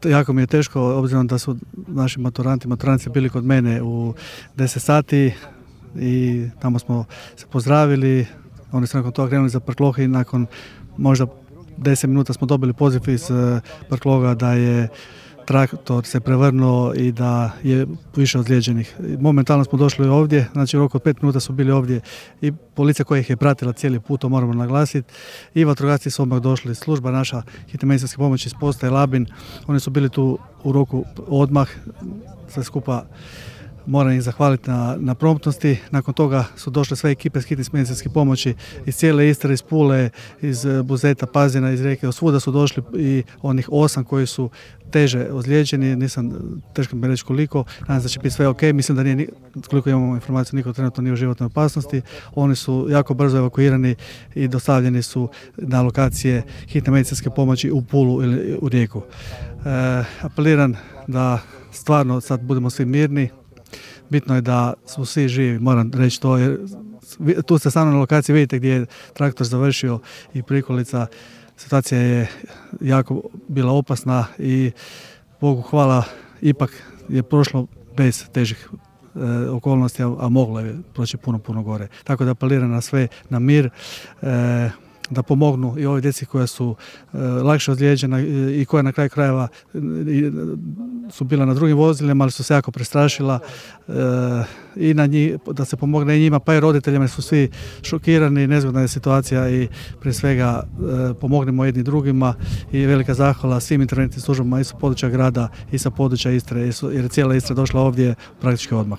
Jako mi je teško, obzirom da su naši maturanti bili kod mene u 10 sati i tamo smo se pozdravili. Oni su nakon toga krenuli za Prkloh i nakon možda 10 minuta smo dobili poziv iz Prkloga da je traktor se prevrnuo i da je više ozlijeđenih. Momentalno smo došli ovdje, znači u roku od 5 minuta su bili ovdje i policija koja ih je pratila cijeli put, to moramo naglasiti, i vatrogasci su odmah došli, služba naša hitne medicinske pomoći iz postaje Labin, oni su bili tu u roku odmah, sve skupa moram ih zahvaliti na promptnosti. Nakon toga su došle sve ekipe hitne medicinske pomoći iz cijele Istre, iz Pule, iz Buzeta, Pazina, iz Rijeke, svuda su došli i onih 8 koji su teže ozlijeđeni, teško mi reći koliko, nadam se da će biti sve ok, mislim da nije, koliko imamo informaciju, niko trenutno nije u životnoj opasnosti. Oni su jako brzo evakuirani i dostavljeni su na lokacije hitne medicinske pomoći u Pulu ili u Rijeku. Apeliram da stvarno sad budemo svi mirni. Bitno je da su svi živi, moram reći to, jer tu ste stvarno na lokaciji, vidite gdje je traktor završio i prikolica. Situacija je jako bila opasna i Bogu hvala, ipak je prošlo bez težih okolnosti, a moglo je proći puno gore. Tako da apeliram na sve, na mir, da pomognu i ovoj djeci koja su lakše ozlijeđena i koja na kraju krajeva su bila na drugim vozilima, ali su se jako prestrašila, i na njih, da se pomogne i njima, pa i roditeljima, su svi šokirani, nezgodna je situacija i prije svega pomognemo jedni drugima i velika zahvala svim interventnim službama i sa područja grada i sa područja Istre, jer je cijela Istra došla ovdje praktički odmah.